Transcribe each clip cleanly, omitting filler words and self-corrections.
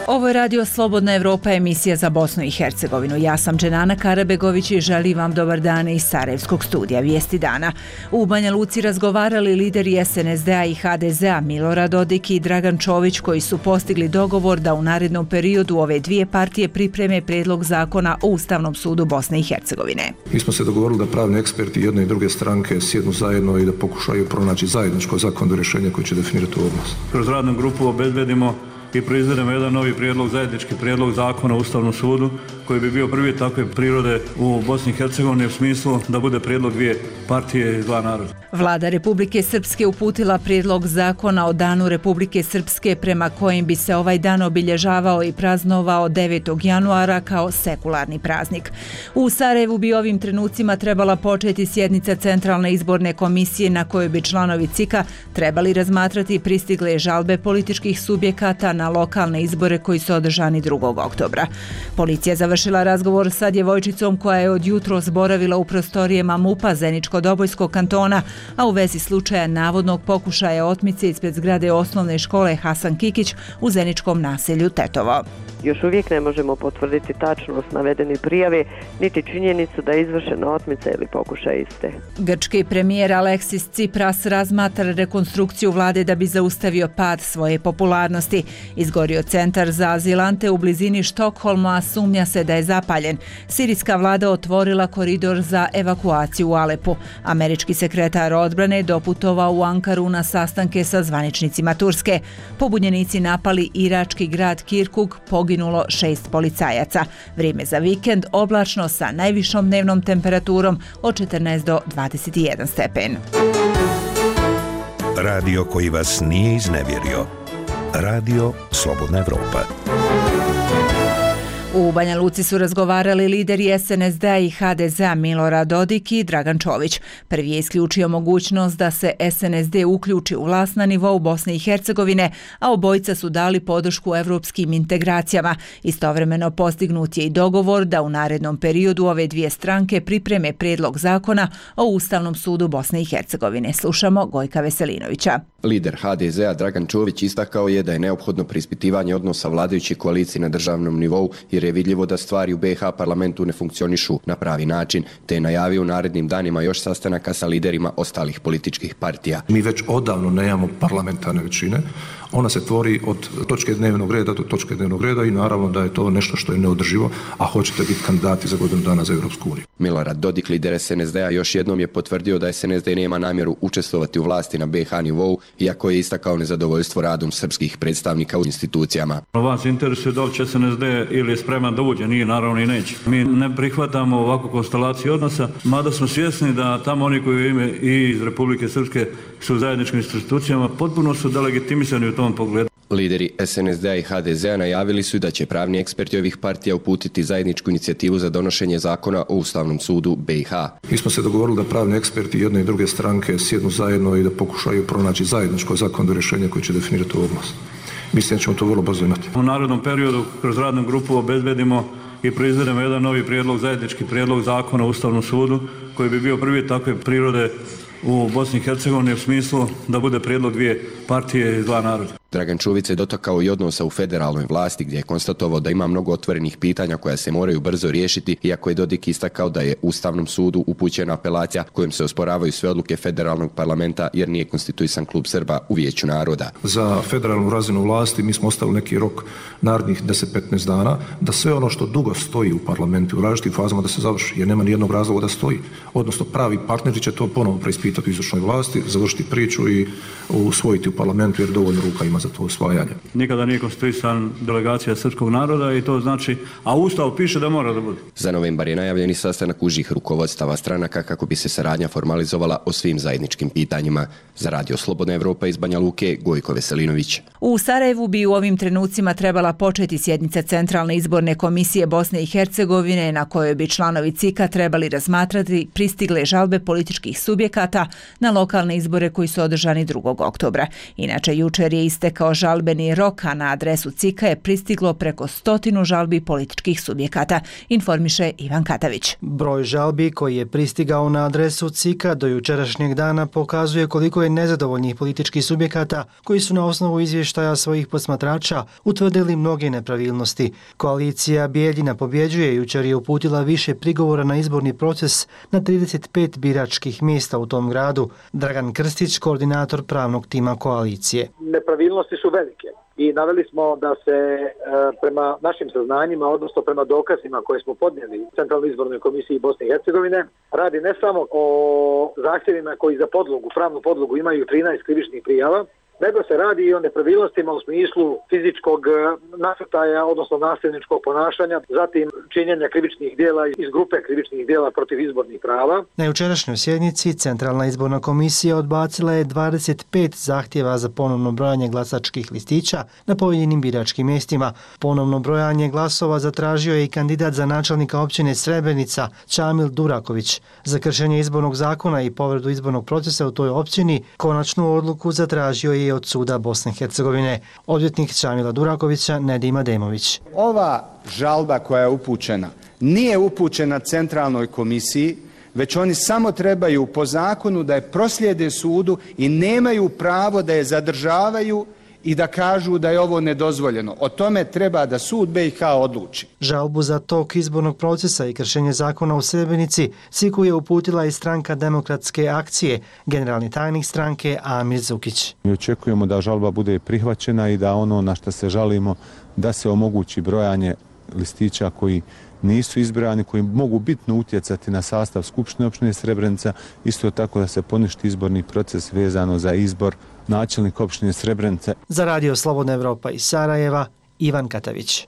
Ovo je Radio Slobodna Evropa, emisija za Bosnu i Hercegovinu. Ja sam Dženana Karabegović i želim vam dobar dan iz Sarajevskog studija Vijesti dana. U Banja Luci razgovarali lideri SNSD-a i HDZ-a Milorad Dodik i Dragan Čović, koji su postigli dogovor da u narednom periodu ove dvije partije pripreme predlog zakona o Ustavnom sudu Bosne i Hercegovine. Mi smo se dogovorili da pravni eksperti jedne i druge stranke sjednu zajedno i da pokušaju pronaći zajedničko zakonodavno rješenje koje će definirati ovu oblast. Kroz radnu grupu obezbedimo i proizvedemo jedan novi prijedlog, zajednički prijedlog zakona o Ustavnom sudu koji bi bio prvi takve prirode u Bosni i Hercegovini u smislu da bude prijedlog dvije partije i dva naroda. Vlada Republike Srpske uputila prijedlog zakona o Danu Republike Srpske prema kojim bi se ovaj dan obilježavao i praznovao 9. januara kao sekularni praznik. U Sarajevu bi ovim trenucima trebala početi sjednica Centralne izborne komisije na kojoj bi članovi CIK-a trebali razmatrati pristigle žalbe političkih subjekata na lokalne izbore koji su održani 2. oktobra. Policija završila razgovor sa djevojčicom koja je od jutros boravila u prostorijama MUP-a Zeničko-Dobojskog kantona, a u vezi slučaja navodnog pokušaja otmice ispred zgrade osnovne škole Hasan Kikić u zeničkom naselju Tetovo. Još uvijek ne možemo potvrditi tačnost navedene prijave, niti činjenicu da je izvršena otmica ili pokušaj iste. Grčki premijer Aleksis Tsipras razmatra rekonstrukciju vlade da bi zaustavio pad svoje popularnosti. Izgorio centar za azilante u blizini Štokholma, a sumnja se da je zapaljen. Sirijska vlada otvorila koridor za evakuaciju u Alepu. Američki sekretar odbrane doputovao u Ankaru na sastanke sa zvaničnicima Turske. Pobunjenici napali irački grad Kirkuk, poginulo 6 policajaca. Vrijeme za vikend oblačno sa najvišom dnevnom temperaturom od 14 do 21 stepen. Radio koji vas nije iznevjerio. Radio Slobodna Evropa. U Banja Luci su razgovarali lideri SNSD-a i HDZ-a Milorad Dodik i Dragan Čović. Prvi je isključio mogućnost da se SNSD uključi u vlast na nivou Bosne i Hercegovine, a obojica su dali podršku evropskim integracijama. Istovremeno postignut je i dogovor da u narednom periodu ove dvije stranke pripreme prijedlog zakona o Ustavnom sudu Bosne i Hercegovine. Slušamo Gojka Veselinovića. Lider HDZ-a Dragan Čović istakao je da je neophodno preispitivanje odnosa vladajuće koalicije na državnom nivou jer je vidljivo da stvari u BiH parlamentu ne funkcionišu na pravi način, te je najavio u narednim danima još sastanaka sa liderima ostalih političkih partija. Mi već odavno nemamo parlamentarne većine, ona se tvori od točke dnevnog reda do točke dnevnog reda i naravno da je to nešto što je neodrživo, a hoćete biti kandidati za godinu dana za Europsku uniju. Milorad Dodik, lider SNSD-a, još jednom je potvrdio da SNSD nema namjeru učestvovati u vlasti na BiH nivou, iako je istakao nezadovoljstvo radom srpskih predstavnika u institucijama. Vas interesuje da li će SNSD ili je spreman da uđe, nije naravno i neće. Mi ne prihvatamo ovakvu konstelaciju odnosa, mada smo svjesni da tamo oni koji ime i iz Republike Srpske su u zajedničkim institucijama potpuno su delegitimisani u tom pogledu. Lideri SNSD-a i HDZ-a najavili su da će pravni eksperti ovih partija uputiti zajedničku inicijativu za donošenje zakona o Ustavnom sudu BiH. Mi smo se dogovorili da pravni eksperti jedne i druge stranke sjednu zajedno i da pokušaju pronaći zajedničko zakonodavno rješenje koje će definirati ovu oblast. Mislim da ćemo to vrlo brzo imati. U narednom periodu kroz radnu grupu obezbedimo i proizvedemo jedan novi prijedlog, zajednički prijedlog zakona o Ustavnom sudu koji bi bio prvi takve prirode u Bosni i Hercegovini u smislu da bude prijedlog dvije partije i dva naroda. Dragan Čović se dotakao i odnosa u federalnoj vlasti gdje je konstatovao da ima mnogo otvorenih pitanja koja se moraju brzo riješiti, iako je Dodik istakao da je Ustavnom sudu upućena apelacija kojom se osporavaju sve odluke federalnog parlamenta jer nije konstituisan klub Srba u Vijeću naroda. Za federalnu razinu vlasti mi smo ostavili neki rok narednih 10-15 dana da sve ono što dugo stoji u parlamentu u različitim fazama da se završi, jer nema nijednog razloga da stoji. Odnosno pravi partneri će to ponovo preispitati u izvršnoj vlasti, završiti priču i usvojiti u parlamentu jer dovoljno ruka ima za to usvajanje. Nikada nije konstituisan delegacija srpskog naroda i to znači, a Ustav piše da mora da bude. Za novembar je najavljeni sastanak užih rukovodstava stranaka kako bi se saradnja formalizovala o svim zajedničkim pitanjima. Za Radio Slobodna Evropa iz Banja Luke, Gojko Veselinović. U Sarajevu bi u ovim trenucima trebala početi sjednica Centralne izborne komisije Bosne i Hercegovine na kojoj bi članovi CIK-a trebali razmatrati pristigle žalbe političkih subjekata na lokalne izbore koji su održani 2. oktobra. Inače, jučer je istekao istekao žalbeni rok, a na adresu CIK-a je pristiglo preko 100 žalbi političkih subjekata, informiše Ivan Katavić. Broj žalbi koji je pristigao na adresu CIK-a do jučerašnjeg dana pokazuje koliko je nezadovoljnih političkih subjekata koji su na osnovu izvještaja svojih posmatrača utvrdili mnoge nepravilnosti. Koalicija Bijeljina pobjeđuje jučer je uputila više prigovora na izborni proces na 35 biračkih mjesta u tom gradu. Dragan Krstić, koordinator pravnog tima koalicije. Nepravilnosti su velike i naveli smo da se prema našim saznanjima, odnosno prema dokazima koje smo podnijeli Centralnoj izbornoj komisiji Bosne i Hercegovine, radi ne samo o zahtjevima koji za podlogu, pravnu podlogu imaju 13 krivičnih prijava, nego se radi i o nepravilnostima u smislu fizičkog nasrtaja, odnosno nasilničkog ponašanja, zatim činjenja krivičnih djela iz grupe krivičnih djela protiv izbornih prava. Na jučerašnjoj sjednici Centralna izborna komisija odbacila je 25 zahtjeva za ponovno brojanje glasačkih listića na pojedinim biračkim mjestima. Ponovno brojanje glasova zatražio je i kandidat za načelnika općine Srebrenica Čamil Duraković. Za kršenje izbornog zakona i povredu izbornog procesa u toj općini konačnu odluku zatražio je od suda Bosne i Hercegovine. Odvjetnik Čamila Durakovića Nedim Ademović. Ova žalba koja je upućena nije upućena Centralnoj komisiji, već oni samo trebaju po zakonu da je proslijede sudu i nemaju pravo da je zadržavaju i da kažu da je ovo nedozvoljeno. O tome treba da sud BiH odluči. Žalbu za tok izbornog procesa i kršenje zakona u Srebrenici CIK-u je uputila i stranka Demokratske akcije, generalni tajnik stranke Amir Zukić. Mi očekujemo da žalba bude prihvaćena i da ono na što se žalimo da se omogući brojanje listića koji nisu izbrojani, koji mogu bitno utjecati na sastav Skupštine općine Srebrenica, isto tako da se poništi izborni proces vezano za izbor načelnika općine Srebrenica. Za Radio Slobodna Evropa iz Sarajeva, Ivan Katavić.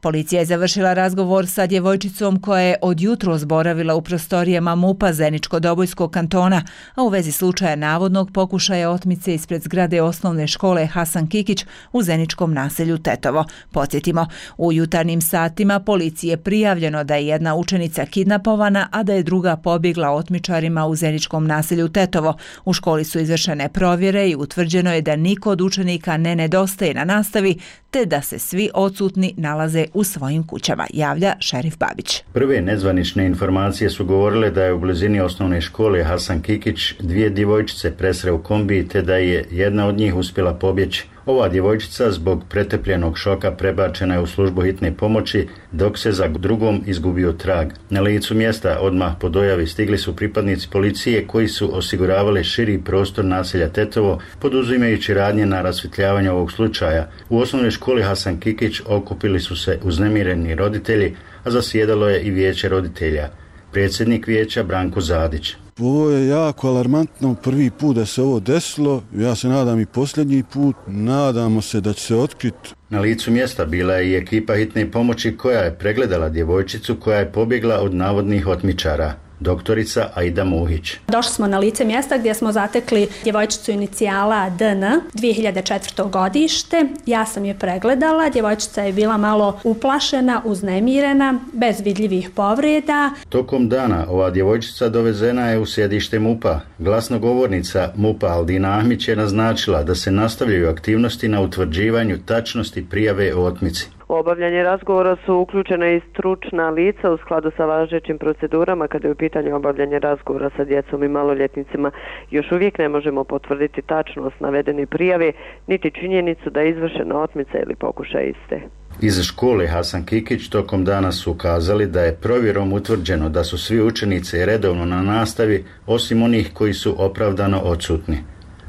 Policija je završila razgovor sa djevojčicom koja je od jutros boravila u prostorijama MUP-a Zeničko-Dobojskog kantona, a u vezi slučaja navodnog pokušaja otmice ispred zgrade osnovne škole Hasan Kikić u zeničkom naselju Tetovo. Podsjetimo, u jutarnjim satima policiji je prijavljeno da je jedna učenica kidnapovana, a da je druga pobjegla otmičarima u zeničkom naselju Tetovo. U školi su izvršene provjere i utvrđeno je da niko od učenika ne nedostaje na nastavi, te da se svi odsutni nalaze u svojim kućama, javlja Šerif Babić. Prve nezvanične informacije su govorile da je u blizini osnovne škole Hasan Kikić dvije djevojčice presreo kombi te da je jedna od njih uspjela pobjeći. Ova djevojčica zbog pretrpljenog šoka prebačena je u službu hitne pomoći, dok se za drugom izgubio trag. Na licu mjesta odmah po dojavi stigli su pripadnici policije koji su osiguravali širi prostor naselja Tetovo, poduzimajući radnje na rasvjetljavanju ovog slučaja. U osnovnoj školi Hasan Kikić okupili su se uznemireni roditelji, a zasjedalo je i vijeće roditelja. Predsjednik vijeća Branko Zadić. Ovo je jako alarmantno, prvi put da se ovo desilo, ja se nadam i posljednji put, nadamo se da će se otkriti. Na licu mjesta bila je i ekipa hitne pomoći koja je pregledala djevojčicu koja je pobjegla od navodnih otmičara. Doktorica Aida Muhić. Došli smo na lice mjesta gdje smo zatekli djevojčicu inicijala DN, 2004. godište. Ja sam je pregledala, djevojčica je bila malo uplašena, uznemirena, bez vidljivih povreda. Tokom dana ova djevojčica dovezena je u sjedište MUP-a. Glasnogovornica MUP-a Aldina Ahmić je naznačila da se nastavljaju aktivnosti na utvrđivanju tačnosti prijave o otmici. U obavljanje razgovora su uključena i stručna lica u skladu sa važećim procedurama kada je u pitanju obavljanje razgovora sa djecom i maloljetnicima. Još uvijek ne možemo potvrditi tačnost navedene prijave, niti činjenicu da je izvršena otmica ili pokušaj iste. Iz škole Hasan Kikić tokom dana su ukazali da je provjerom utvrđeno da su svi učenici redovno na nastavi, osim onih koji su opravdano odsutni.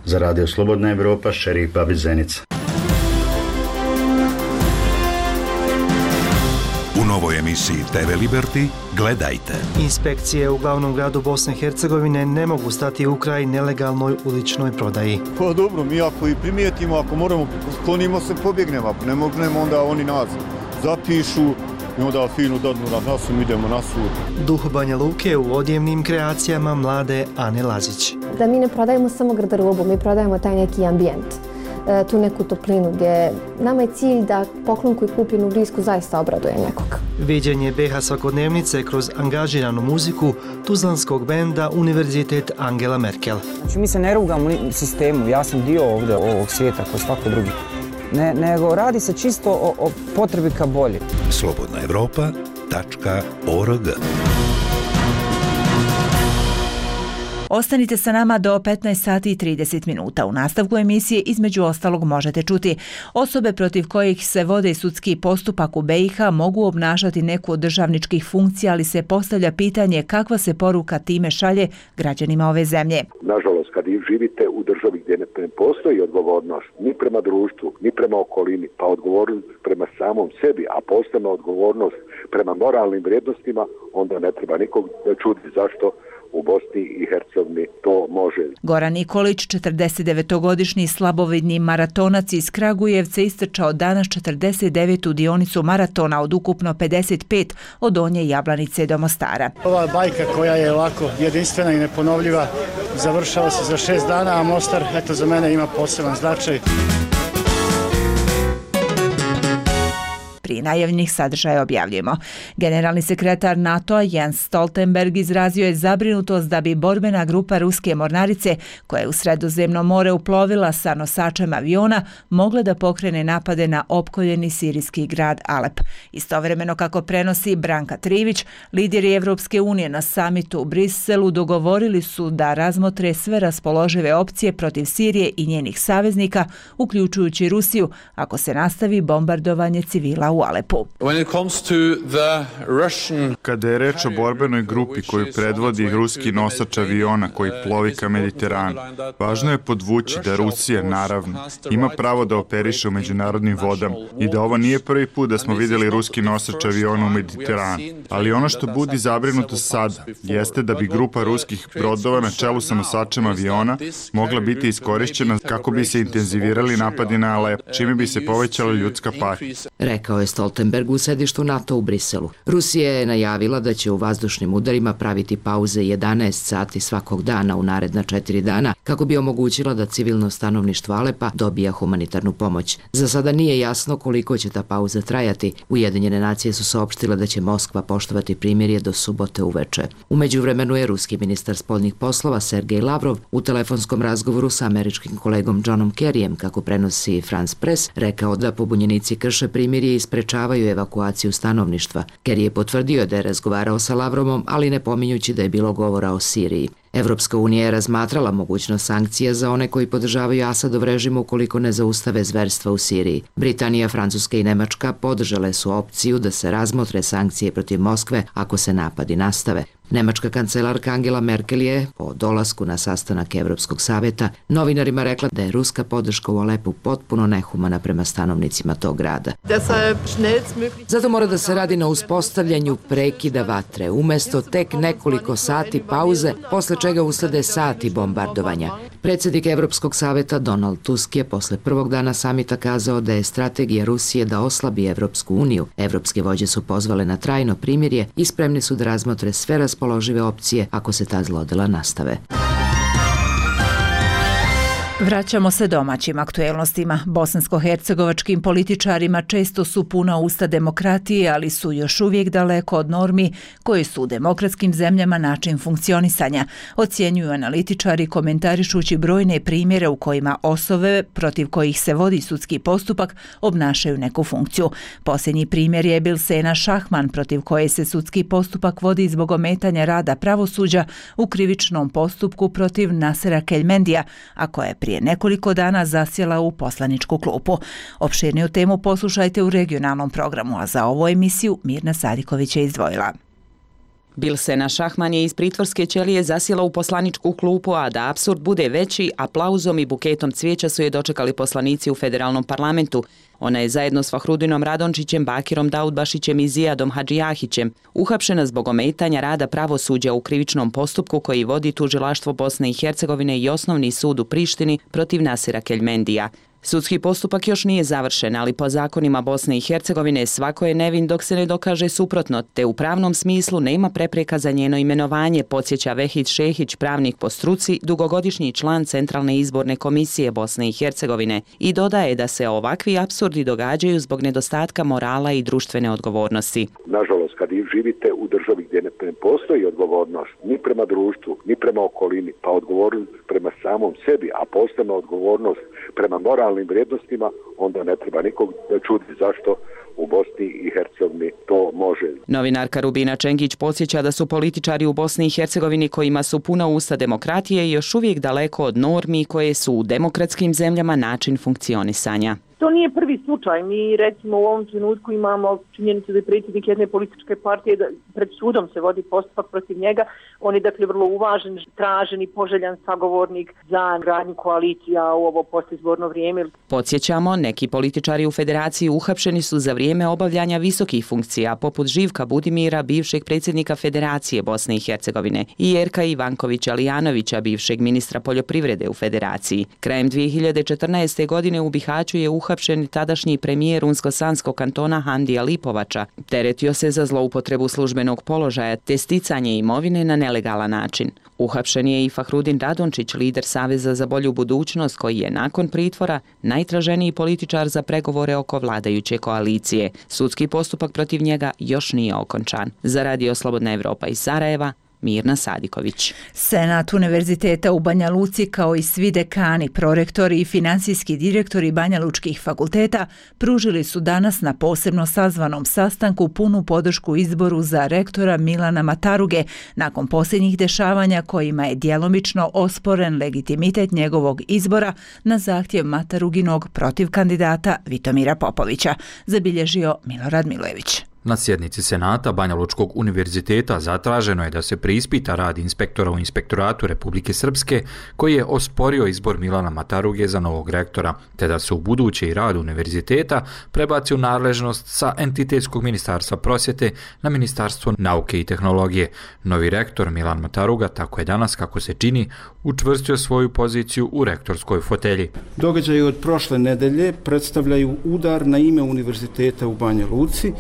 Za Radio Slobodna Evropa, Šerif Babić, Zenica. U novoj emisiji TV Liberty gledajte. Inspekcije u glavnom gradu Bosne i Hercegovine ne mogu stati u kraj nelegalnoj uličnoj prodaji. Pa dobro, mi ako i primijetimo, ako moramo, sklonimo se, pobjegnemo. Ako ne mognemo, onda oni nas zapišu i onda finu dadnu na nas i idemo na sud. Duh Banja Luke u odjevnim kreacijama mlade Ane Lazić. Da mi ne prodajemo samo garderobu, mi prodajemo taj neki ambijent, tu neku toplinu gdje nama je cilj da poklon koji kupi u Blisku zaista obraduje nekog. Viđenje BiH svakodnevnice kroz angažiranu muziku tuzlanskog benda Univerzitet Angela Merkel. Znači, mi se ne rugamo sistemu, ja sam dio ovdje ovog svijeta kao svako drugi. Nego radi se čisto o potrebi ka bolje. slobodnaevropa.org. Ostanite sa nama do 15 sati i 30 minuta. U nastavku emisije između ostalog možete čuti: osobe protiv kojih se vode sudski postupak u BiH mogu obnašati neku od državničkih funkcija, ali se postavlja pitanje kakva se poruka time šalje građanima ove zemlje. Nažalost, kad živite u državi gdje ne postoji odgovornost ni prema društvu, ni prema okolini, pa odgovornost prema samom sebi, a posebno odgovornost prema moralnim vrijednostima, onda ne treba nikog čuditi zašto u Bosni i Hercegovini to može. Goran Nikolić, 49-godišnji slabovidni maratonac iz Kragujevca, istrčao danas 49. dionicu maratona od ukupno 55 od Donje Jablanice do Mostara. Ova bajka koja je ovako jedinstvena i neponovljiva završava se za 6 dana, a Mostar eto za mene ima poseban značaj. Prije najavljenih sadržaja objavljujemo. Generalni sekretar NATO-a Jens Stoltenberg izrazio je zabrinutost da bi borbena grupa ruske mornarice, koja je u Sredozemno more uplovila sa nosačem aviona, mogla da pokrene napade na opkoljeni sirijski grad Alep. Istovremeno, kako prenosi Branka Trivić, lideri Evropske unije na samitu u Briselu dogovorili su da razmotre sve raspoložive opcije protiv Sirije i njenih saveznika, uključujući Rusiju, ako se nastavi bombardovanje civila u Alepu. Kada je reč o borbenoj grupi koju predvodi ruski nosač aviona koji plovi ka Mediteranu, važno je podvući da Rusija, naravno, ima pravo da operiše u međunarodnim vodama i da ovo nije prvi put da smo vidjeli ruski nosač aviona u Mediteranu. Ali ono što budi zabrinutost sada jeste da bi grupa ruskih brodova na čelu sa nosačem aviona mogla biti iskorišćena kako bi se intenzivirali napadi na Alep, čime bi se povećala ljudska patnja. Rekao je Stoltenberg u sedištu NATO u Briselu. Rusija je najavila da će u vazdušnim udarima praviti pauze 11 sati svakog dana u naredna 4 dana kako bi omogućila da civilno stanovništvo Alepa dobija humanitarnu pomoć. Za sada nije jasno koliko će ta pauza trajati. Ujedinjene nacije su saopštile da će Moskva poštovati primirje do subote uveče. U međuvremenu je ruski ministar spoljnih poslova Sergej Lavrov u telefonskom razgovoru sa američkim kolegom Johnom Kerryjem, kako prenosi France Press, rekao da pobunjenici krše primirje i sprečavaju evakuaciju stanovništva. Kerry je potvrdio da je razgovarao sa Lavrovom, ali ne pominjući da je bilo govora o Siriji. Evropska unija je razmatrala mogućnost sankcija za one koji podržavaju Asadov režim ukoliko ne zaustave zverstva u Siriji. Britanija, Francuska i Nemačka podržale su opciju da se razmotre sankcije protiv Moskve ako se napadi nastave. Nemačka kancelarka Angela Merkel je, po dolasku na sastanak Evropskog savjeta, novinarima rekla da je ruska podrška u Alepu potpuno nehumana prema stanovnicima tog grada. Zato mora da se radi na uspostavljanju prekida vatre, umjesto tek nekoliko sati pauze, posle čega uslede sati bombardovanja. Predsjednik Evropskog savjeta Donald Tusk je posle prvog dana samita kazao da je strategija Rusije da oslabi Evropsku uniju. Evropske vođe su pozvale na trajno primirje i spremni su da razmotre sve raspoložive opcije ako se ta zlodela nastave. Vraćamo se domaćim aktuelnostima. Bosansko-hercegovačkim političarima često su puna usta demokratije, ali su još uvijek daleko od normi koje su u demokratskim zemljama način funkcionisanja, ocjenjuju analitičari komentarišući brojne primjere u kojima osobe protiv kojih se vodi sudski postupak obnašaju neku funkciju. Posljednji primjer je Bilsena Šahman, protiv koje se sudski postupak vodi zbog ometanja rada pravosuđa u krivičnom postupku protiv Nasera Keljmendija, a koja je prije nekoliko dana zasjela u poslaničku klupu. Opširniju temu poslušajte u regionalnom programu, a za ovu emisiju Mirna Sadiković je izdvojila. Bilsena Šahman je iz pritvorske ćelije zasjela u poslaničku klupu, a da apsurd bude veći, aplauzom i buketom cvijeća su je dočekali poslanici u federalnom parlamentu. Ona je zajedno s Fahrudinom Radončićem, Bakirom Daudbašićem i Zijadom Hadžijahićem uhapšena zbog ometanja rada pravosuđa u krivičnom postupku koji vodi tužilaštvo Bosne i Hercegovine i Osnovni sud u Prištini protiv Nasera Keljmendija. Sudski postupak još nije završen, ali po zakonima Bosne i Hercegovine svako je nevin dok se ne dokaže suprotno, te u pravnom smislu nema prepreka za njeno imenovanje, podsjeća Vehid Šehić, pravnik po struci, dugogodišnji član Centralne izborne komisije Bosne i Hercegovine, i dodaje da se ovakvi apsurdi događaju zbog nedostatka morala i društvene odgovornosti. Nažalost, kad živite u državi gdje ne postoji odgovornost ni prema društvu, ni prema okolini, pa odgovornost prema samom sebi, a posebno odgovornost prema moralnim vrijednostima, onda ne treba nikog čuditi zašto u Bosni i Hercegovini to može. Novinarka Rubina Čengić podsjeća da su političari u Bosni i Hercegovini kojima su puna usta demokratije još uvijek daleko od normi koje su u demokratskim zemljama način funkcionisanja. To nije prvi slučaj. Mi recimo u ovom trenutku imamo činjenicu da je predsjednik jedne političke partije, da pred sudom se vodi postupak protiv njega. On je dakle vrlo uvažen, tražen i poželjan sagovornik za gradnju koalicija u ovo postizborno vrijeme. Podsjećamo, neki političari u federaciji uhapšeni su za vrijeme obavljanja visokih funkcija, poput Živka Budimira, bivšeg predsjednika Federacije Bosne i Hercegovine, i Jerka Ivankovića Lijanovića, bivšeg ministra poljoprivrede u federaciji. Krajem 2014. godine u Bihaću je uhapšen tadašnji premijer Unsko-Sanskog kantona Handija Lipovača. Teretio se za zloupotrebu službenog položaja te sticanje imovine na nelegalan način. Uhapšen je i Fahrudin Radončić, lider Saveza za bolju budućnost, koji je nakon pritvora najtraženiji političar za pregovore oko vladajuće koalicije. Sudski postupak protiv njega još nije okončan. Za Radio Slobodna Evropa iz Sarajeva, Mirna Sadiković. Senat Univerziteta u Banja Luci, kao i svi dekani, prorektori i finansijski direktori Banja Lučkih fakulteta pružili su danas na posebno sazvanom sastanku punu podršku izboru za rektora Milana Mataruge nakon posljednjih dešavanja kojima je djelomično osporen legitimitet njegovog izbora na zahtjev Mataruginog protiv kandidata Vitomira Popovića, zabilježio Milorad Milojević. Na sjednici Senata Banja Lučkog univerziteta zatraženo je da se preispita rad inspektora u Inspektoratu Republike Srpske koji je osporio izbor Milana Mataruge za novog rektora, te da se u buduće i rad univerziteta prebaci u nadležnost sa entitetskog ministarstva prosvjete na Ministarstvo nauke i tehnologije. Novi rektor Milan Mataruga, tako je danas, kako se čini, učvrstio svoju poziciju u rektorskoj fotelji. Događaji od prošle nedelje predstavljaju udar na ime univerziteta u Banja Luci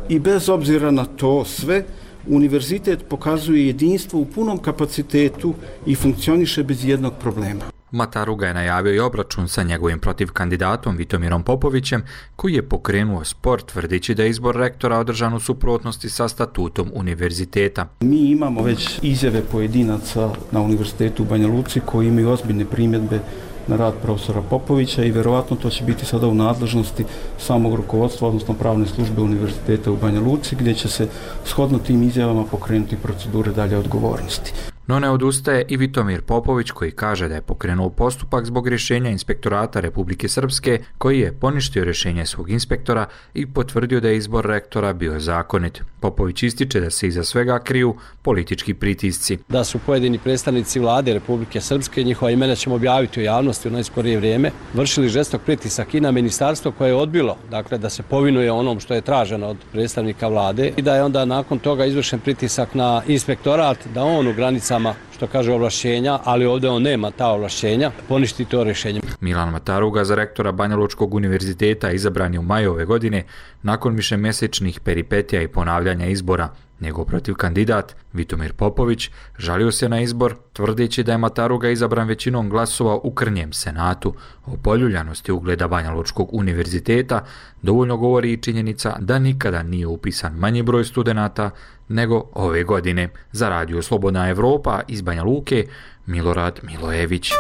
i bez obzira na to sve, univerzitet pokazuje jedinstvo u punom kapacitetu i funkcioniše bez jednog problema. Mataruga je najavio i obračun sa njegovim protivkandidatom Vitomirom Popovićem, koji je pokrenuo spor tvrdeći da je izbor rektora održan u suprotnosti sa statutom univerziteta. Mi imamo već izjave pojedinaca na univerzitetu u Banja Luci koji imaju ozbiljne primjedbe na rad profesora Popovića i verovatno to će biti sada u nadležnosti samog rukovodstva, odnosno pravne službe univerziteta u Banja Luci, gdje će se shodno tim izjavama pokrenuti procedure dalje odgovornosti. No ne odustaje i Vitomir Popović, koji kaže da je pokrenuo postupak zbog rješenja Inspektorata Republike Srpske, koji je poništio rješenje svog inspektora i potvrdio da je izbor rektora bio zakonit. Popović ističe da se iza svega kriju politički pritisci. Da su pojedini predstavnici vlade Republike Srpske, njihova imena ćemo objaviti u javnosti u najskorije vrijeme, vršili žestok pritisak i na ministarstvo koje je odbilo, dakle da se povinuje onom što je traženo od predstavnika vlade i da je onda nakon toga izvršen pritisak na inspektorat da on u granicama, što kaže, ovlašćenja, ali ovdje on nema ta ovlašćenja, poništi to rješenje. Milan Mataruga za rektora Banja Lučkog univerziteta izabran je u maju ove godine nakon višemjesečnih peripetija i ponavljanja izbora. Njegov protivkandidat, Vitomir Popović, žalio se na izbor, tvrdeći da je Mataruga izabran većinom glasova u krnjem senatu. O poljuljanosti ugleda Banja Lučkog univerziteta dovoljno govori i činjenica da nikada nije upisan manji broj studenata nego ove godine. Za Radio Slobodna Evropa iz Banja Luke, Milorad Milojević.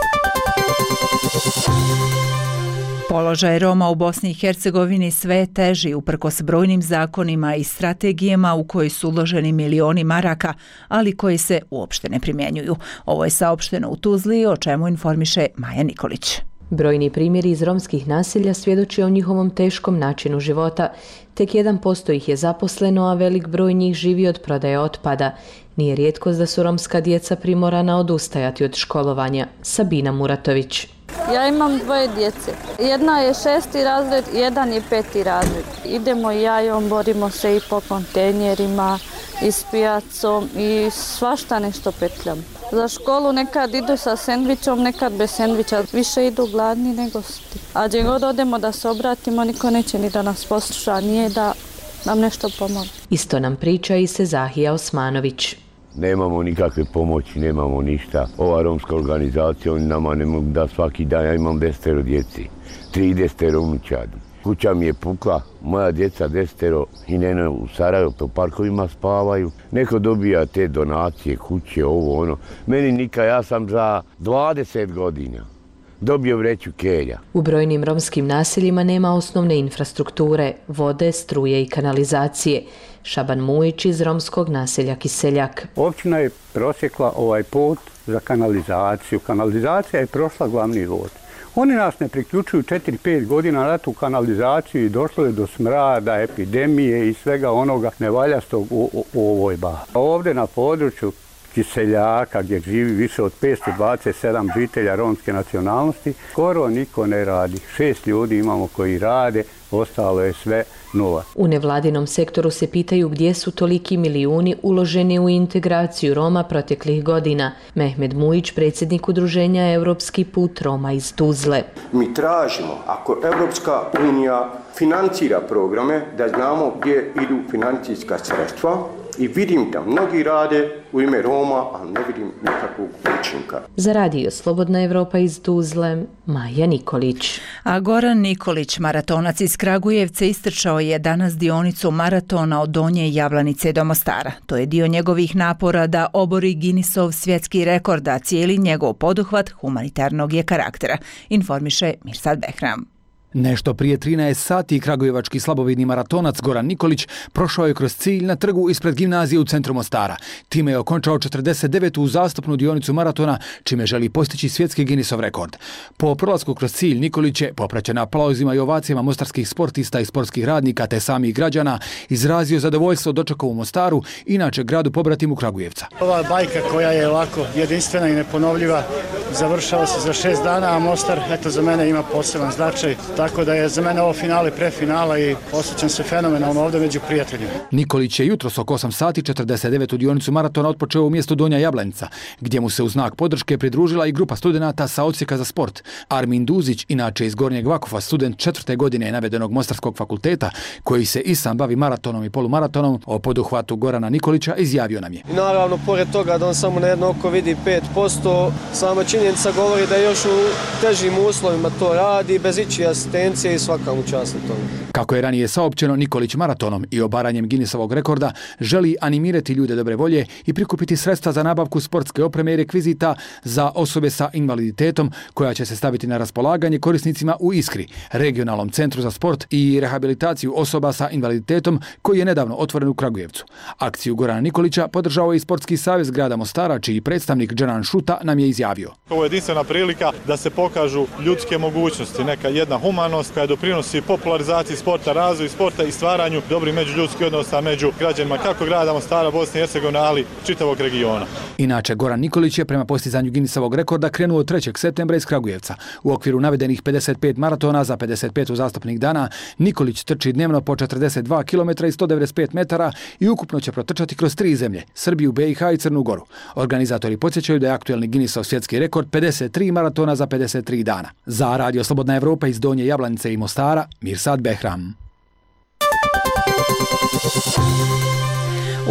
Položaj Roma u Bosni i Hercegovini sve je teži uprkos brojnim zakonima i strategijama u koji su uloženi milioni maraka, ali koji se uopšte ne primjenjuju. Ovo je saopšteno u Tuzli, o čemu informiše Maja Nikolić. Brojni primjeri iz romskih naselja svjedoči o njihovom teškom načinu života. Tek 1% ih je zaposleno, a velik broj njih živi od prodaje otpada. Nije rijetkost da su romska djeca primorana odustajati od školovanja. Sabina Muratović. Ja imam 2 djece. Jedna je 6. razred, jedan je 5. razred. Idemo i ja i on, borimo se i po kontejnerima i s pijacom i svašta nešto petljam. Za školu nekad idu sa sendvičom, nekad bez sendviča. Više idu gladni nego sti. A gdje god odemo da se obratimo, niko neće ni da nas posluša, nije da nam nešto pomoći. Isto nam priča i Sezahija Osmanović. Nemamo nikakve pomoći, nemamo ništa. Ova romska organizacija, oni nama ne mogu da svaki dan, ja imam 10 djeci, 30 unučadi. Kuća mi je pukla, moja djeca 10 i nene u Sarajevu po parkovima spavaju. Neko dobija te donacije, kuće, ovo, ono. Meni nikad, ja sam za 20 godina dobio vreću kelja. U brojnim romskim naseljima nema osnovne infrastrukture, vode, struje i kanalizacije. Šaban Mujić iz romskog naselja Kiseljak. Općina je prosjekla ovaj put za kanalizaciju. Kanalizacija je prošla glavni vod. Oni nas ne priključuju 4-5 godina na tu kanalizaciju i došlo je do smrada, epidemije i svega onoga nevaljastog u ovoj bazi. Ovdje na području Kiseljaka, gdje živi više od 527 žitelja romske nacionalnosti, skoro niko ne radi. 6 ljudi imamo koji rade, ostalo je sve nula. U nevladinom sektoru se pitaju gdje su toliki milijuni uloženi u integraciju Roma proteklih godina. Mehmed Mujić, predsjednik udruženja Europski put Roma iz Tuzle. Mi tražimo, ako Europska unija financira programe, da znamo gdje idu financijska sredstva. I vidim da mnogi rade u ime Roma, ali ne vidim nikakvog učinka. Za radio Slobodna Evropa iz Tuzle, Maja Nikolić. A Goran Nikolić, maratonac iz Kragujevca, istrčao je danas dionicu maratona od Donje Jablanice do Mostara. To je dio njegovih napora da obori Guinnessov svjetski rekord, a cijeli njegov poduhvat humanitarnog je karaktera, informiše Mirsad Behram. Nešto prije 13 sati kragujevački slabovidni maratonac Goran Nikolić prošao je kroz cilj na trgu ispred gimnazije u centru Mostara. Time je okončao 49. uzastopnu dionicu maratona, čime želi postići svjetski Guinnessov rekord. Po prolasku kroz cilj Nikolić je, popraćen aplauzima i ovacijama mostarskih sportista i sportskih radnika te samih građana, izrazio zadovoljstvo dočekao u Mostaru, inače gradu pobratimu Kragujevca. Ova bajka koja je ovako jedinstvena i neponovljiva završava se za 6 dana, a Mostar, eto, za mene ima poseban značaj. Tako da je za mene ovo finale prefinala i osjećam se fenomenalno ovdje među prijateljima. Nikolić je jutros oko 8 sati 49. dionicu maratona otpočeo u mjestu Donja Jablanica, gdje mu se u znak podrške pridružila i grupa studenata sa odsjeka za sport. Armin Duzić, inače iz Gornjeg Vakova, student 4. godine navedenog Mostarskog fakulteta, koji se i sam bavi maratonom i polumaratonom, o poduhvatu Gorana Nikolića izjavio nam je. I naravno, pored toga da on samo na jedno oko vidi 5%, sama činjenica govori da još u težim uslovima to radi, bez ičije asistencije i svaka mu čast na tome. Kako je ranije saopćeno, Nikolić maratonom i obaranjem Guinnessovog rekorda želi animirati ljude dobre volje i prikupiti sredstva za nabavku sportske opreme i rekvizita za osobe sa invaliditetom, koja će se staviti na raspolaganje korisnicima u Iskri, regionalnom centru za sport i rehabilitaciju osoba sa invaliditetom, koji je nedavno otvoren u Kragujevcu. Akciju Gorana Nikolića podržao je i Sportski savez grada Mostara, čiji predstavnik Džanan Šuta nam je izjavio. Ovo je jedinstvena prilika da se pokažu ljudske mogućnosti, neka jedna humanost koja doprinosi popularizaciji sporta, razvoju sporta i stvaranju dobrih međuljudskih odnosa među građanima kako grada Mostara, Bosne i Hercegovine, ali čitavog regiona. Inače, Goran Nikolić je prema postizanju Guinnessovog rekorda krenuo 3. septembra iz Kragujevca. U okviru navedenih 55 maratona za 55 uzastopnih dana, Nikolić trči dnevno po 42 km i 195 metara i ukupno će protrčati kroz 3 zemlje, Srbiju, BiH i Crnu Goru. Organizatori podsjećaju da je aktuelni Guinnessov svjetski rekord 53 maratona za 53 dana. Za radio Slobodna Evropa iz Donje Jablanice i Mostara, Mirsad Behram.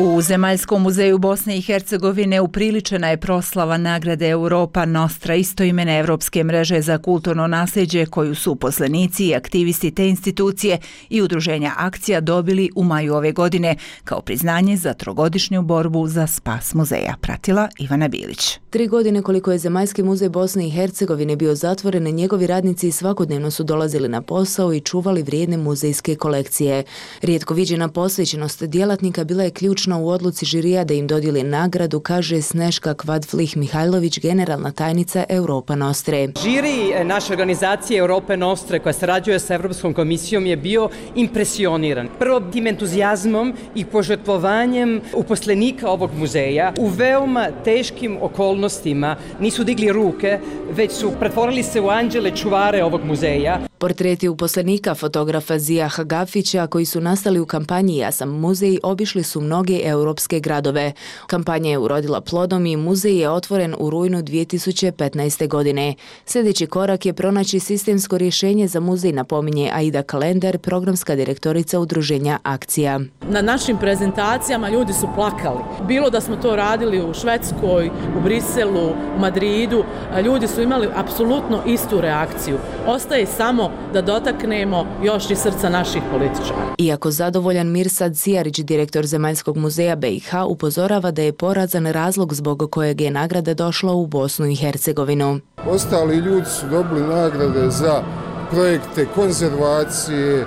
U Zemaljskom muzeju Bosne i Hercegovine upriličena je proslava nagrade Europa Nostra, istoimene evropske mreže za kulturno nasljeđe, koju su uposlenici i aktivisti te institucije i udruženja Akcija dobili u maju ove godine kao priznanje za 3-godišnju borbu za spas muzeja. Pratila Ivana Bilić. 3 godine koliko je Zemaljski muzej Bosne i Hercegovine bio zatvoren, njegovi radnici svakodnevno su dolazili na posao i čuvali vrijedne muzejske kolekcije. Rijetko viđena posvećenost djelatnika bila je ključna u odluci žirija da im dodijeli nagradu, kaže Sneška Kvadflih Mihajlović, generalna tajnica Europa Nostre. Žiri naše organizacije Europe Nostre, koja sarađuje sa Europskom komisijom, je bio impresioniran. Prvo tim entuzijazmom i požrtvovanjem uposlenika ovog muzeja u veoma teškim okolnostima nisu digli ruke, već su pretvorili se u anđele čuvare ovog muzeja. Portreti uposlenika fotografa Zija Hagafića koji su nastali u kampanji Ja sam muzej obišli su mnoge europske gradove. Kampanja je urodila plodom i muzej je otvoren u rujnu 2015. godine. Sljedeći korak je pronaći sistemsko rješenje za muzej, napominje Aida Kalender, programska direktorica udruženja Akcija. Na našim prezentacijama ljudi su plakali. Bilo da smo to radili u Švedskoj, u Briselu, u Madridu, ljudi su imali apsolutno istu reakciju. Ostaje samo da dotaknemo još i srca naših političara. Iako zadovoljan, Mirsad Cijarić, direktor Zemaljskog muzeja BiH, upozorava da je porazan razlog zbog kojeg je nagrada došla u Bosnu i Hercegovinu. Ostali ljudi su dobili nagrade za projekte konzervacije,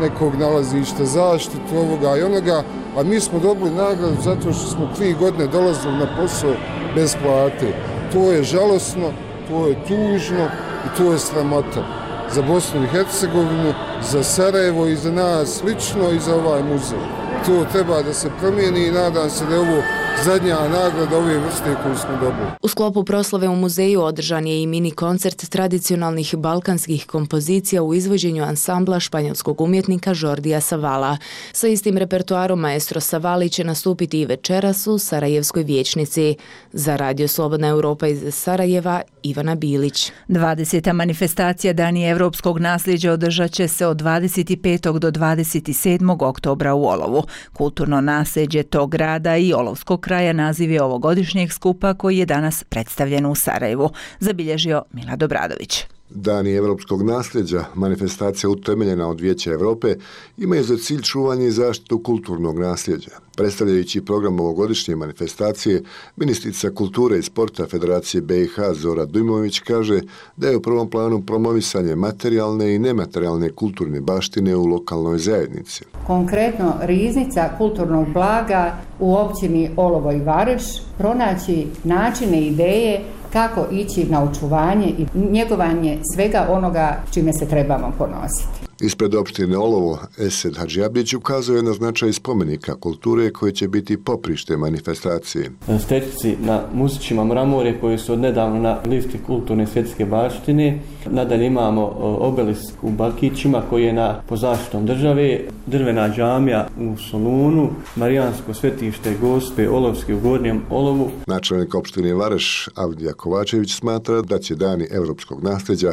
nekog nalazišta, zaštitu ovoga i onoga, a mi smo dobili nagradu zato što smo 3 godine dolazili na posao bez plate. To je žalosno, to je tužno i to je sramota za Bosnu i Hercegovinu, za Sarajevo i za nas lično i za ovaj muzej. To treba da se promijeni i nadam se da je ovo zadnja nagrada ove vrste koju smo dobili. U sklopu proslave u muzeju održan je i mini koncert tradicionalnih balkanskih kompozicija u izvođenju ansambla španjolskog umjetnika Jordija Savala. Sa istim repertoarom maestro Savali će nastupiti i večeras u Sarajevskoj vijećnici. Za Radio Slobodna Europa iz Sarajeva, Ivana Bilić. 20. manifestacija Dani evropskog nasljeđa održat će se od 25. do 27. oktobra u Olovu. Kulturno nasljeđe tog grada i Olovskog kraja naziv je ovogodišnjeg skupa koji je danas predstavljen u Sarajevu, zabilježio Milad Obradović. Dani evropskog nasljeđa, manifestacija utemeljena od Vijeća Europe, imaju za cilj čuvanje i zaštitu kulturnog nasljeđa. Predstavljajući program ovogodišnje manifestacije, ministrica kulture i sporta Federacije BiH Zora Dujmović kaže da je u prvom planu promovisanje materijalne i nematerijalne kulturne baštine u lokalnoj zajednici. Konkretno riznica kulturnog blaga u općini Olovo i Vareš, pronaći načine i ideje kako ići na očuvanje i njegovanje svega onoga čime se trebamo ponositi. Ispred opštine Olovo, Esed Hadžiabić ukazuje na značaj spomenika kulture koji će biti poprište manifestacije. Stetici na Musićima Mramore koji su odnedavno na listi kulturne svjetske baštine. Nadalje imamo obelisk u Bakićima koji je po zaštitom države, drvena džamija u Solunu, Marijansko svetište Gospe Olovske u Gornjem Olovu. Načelnik opštine Vareš Avdija Kovačević smatra da će Dani evropskog nasljeđa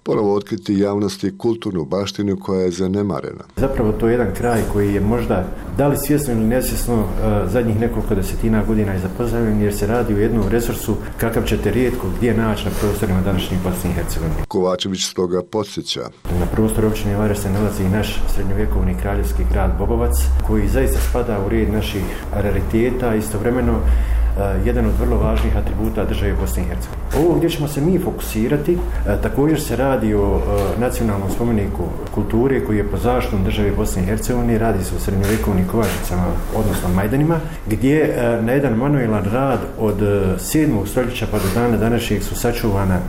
ponovo otkriti javnosti kulturnu baštinu koja je zanemarena. Zapravo to je jedan kraj koji je možda, da li svjesno ili nesvjesno, zadnjih nekoliko desetina godina je zapostavljen jer se radi o jednom resursu kakav ćete rijetko gdje naći na prostorima današnjih Bosne i Hercegovine. Kovačević stoga podsjeća. Na prostoru općine Vareš se nalazi i naš srednjovjekovni kraljevski grad Bobovac koji zaista spada u red naših rariteta, istovremeno jedan od vrlo važnih atributa države Bosne i Hercegovine. Ovo gdje ćemo se mi fokusirati, također se radi o nacionalnom spomeniku kulture koji je po zaštitom države Bosne i Hercegovine, radi se o srednjovjekovnim kovačnicama, odnosno majdanima, gdje na jedan manuelan rad od 7. stoljeća pa do dana današnjeg su sačuvana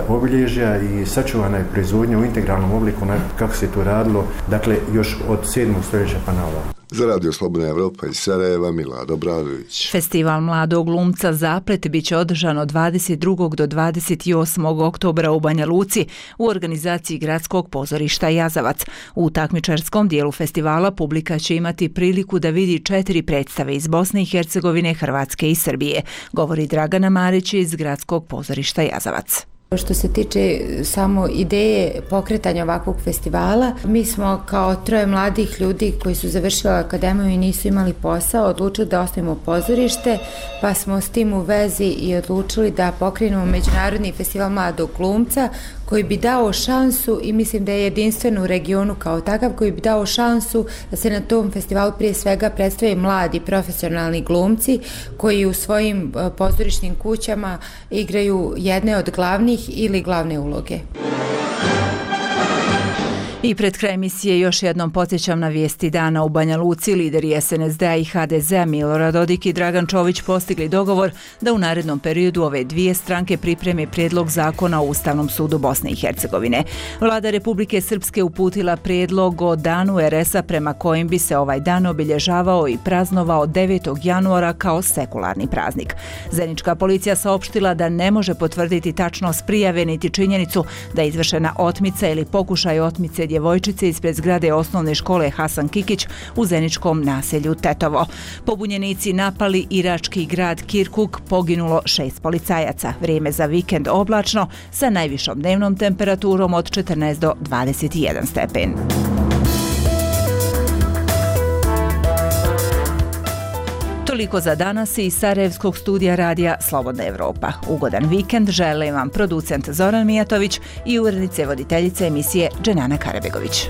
obilježja i sačuvana je proizvodnja u integralnom obliku kako se to radilo, dakle još od 7. stoljeća pa na ovamo. Za Radio Slobodna Evropa iz Sarajeva, Milad Obradović. Festival mladog glumca Zaplet biće održan od 22. do 28. oktobra u Banja Luci u organizaciji Gradskog pozorišta Jazavac. U takmičarskom dijelu festivala publika će imati priliku da vidi 4 predstave iz Bosne i Hercegovine, Hrvatske i Srbije, govori Dragana Marić iz Gradskog pozorišta Jazavac. Što se tiče samo ideje pokretanja ovakvog festivala, mi smo kao 3 mladih ljudi koji su završili akademiju i nisu imali posao odlučili da osnovimo pozorište, pa smo s tim u vezi i odlučili da pokrenemo Međunarodni festival mladog glumca koji bi dao šansu, i mislim da je jedinstven u regionu kao takav, koji bi dao šansu da se na tom festivalu prije svega predstave mladi profesionalni glumci koji u svojim pozorišnim kućama igraju jedne od glavnih ili glavne uloge. I pred kraj emisije još jednom podsjećam na vijesti dana. U Banja Luci lideri SNSD-a i HDZ-a Milorad Dodik i Dragan Čović postigli dogovor da u narednom periodu ove dvije stranke pripreme prijedlog zakona o Ustavnom sudu Bosne i Hercegovine. Vlada Republike Srpske uputila prijedlog o danu RS-a prema kojem bi se ovaj dan obilježavao i praznovao 9. januara kao sekularni praznik. Zenička policija saopštila da ne može potvrditi tačnost prijave niti činjenicu da je izvršena otmica ili pokušaj otmice djevojčice ispred zgrade osnovne škole Hasan Kikić u zeničkom naselju Tetovo. Pobunjenici napali irački grad Kirkuk, poginulo 6 policajaca. Vrijeme za vikend oblačno sa najvišom dnevnom temperaturom od 14 do 21 stepen. Toliko za danas iz Sarajevskog studija radija Slobodna Evropa. Ugodan vikend želim vam producent Zoran Mijatović i urednice voditeljice emisije Dženana Karabegović.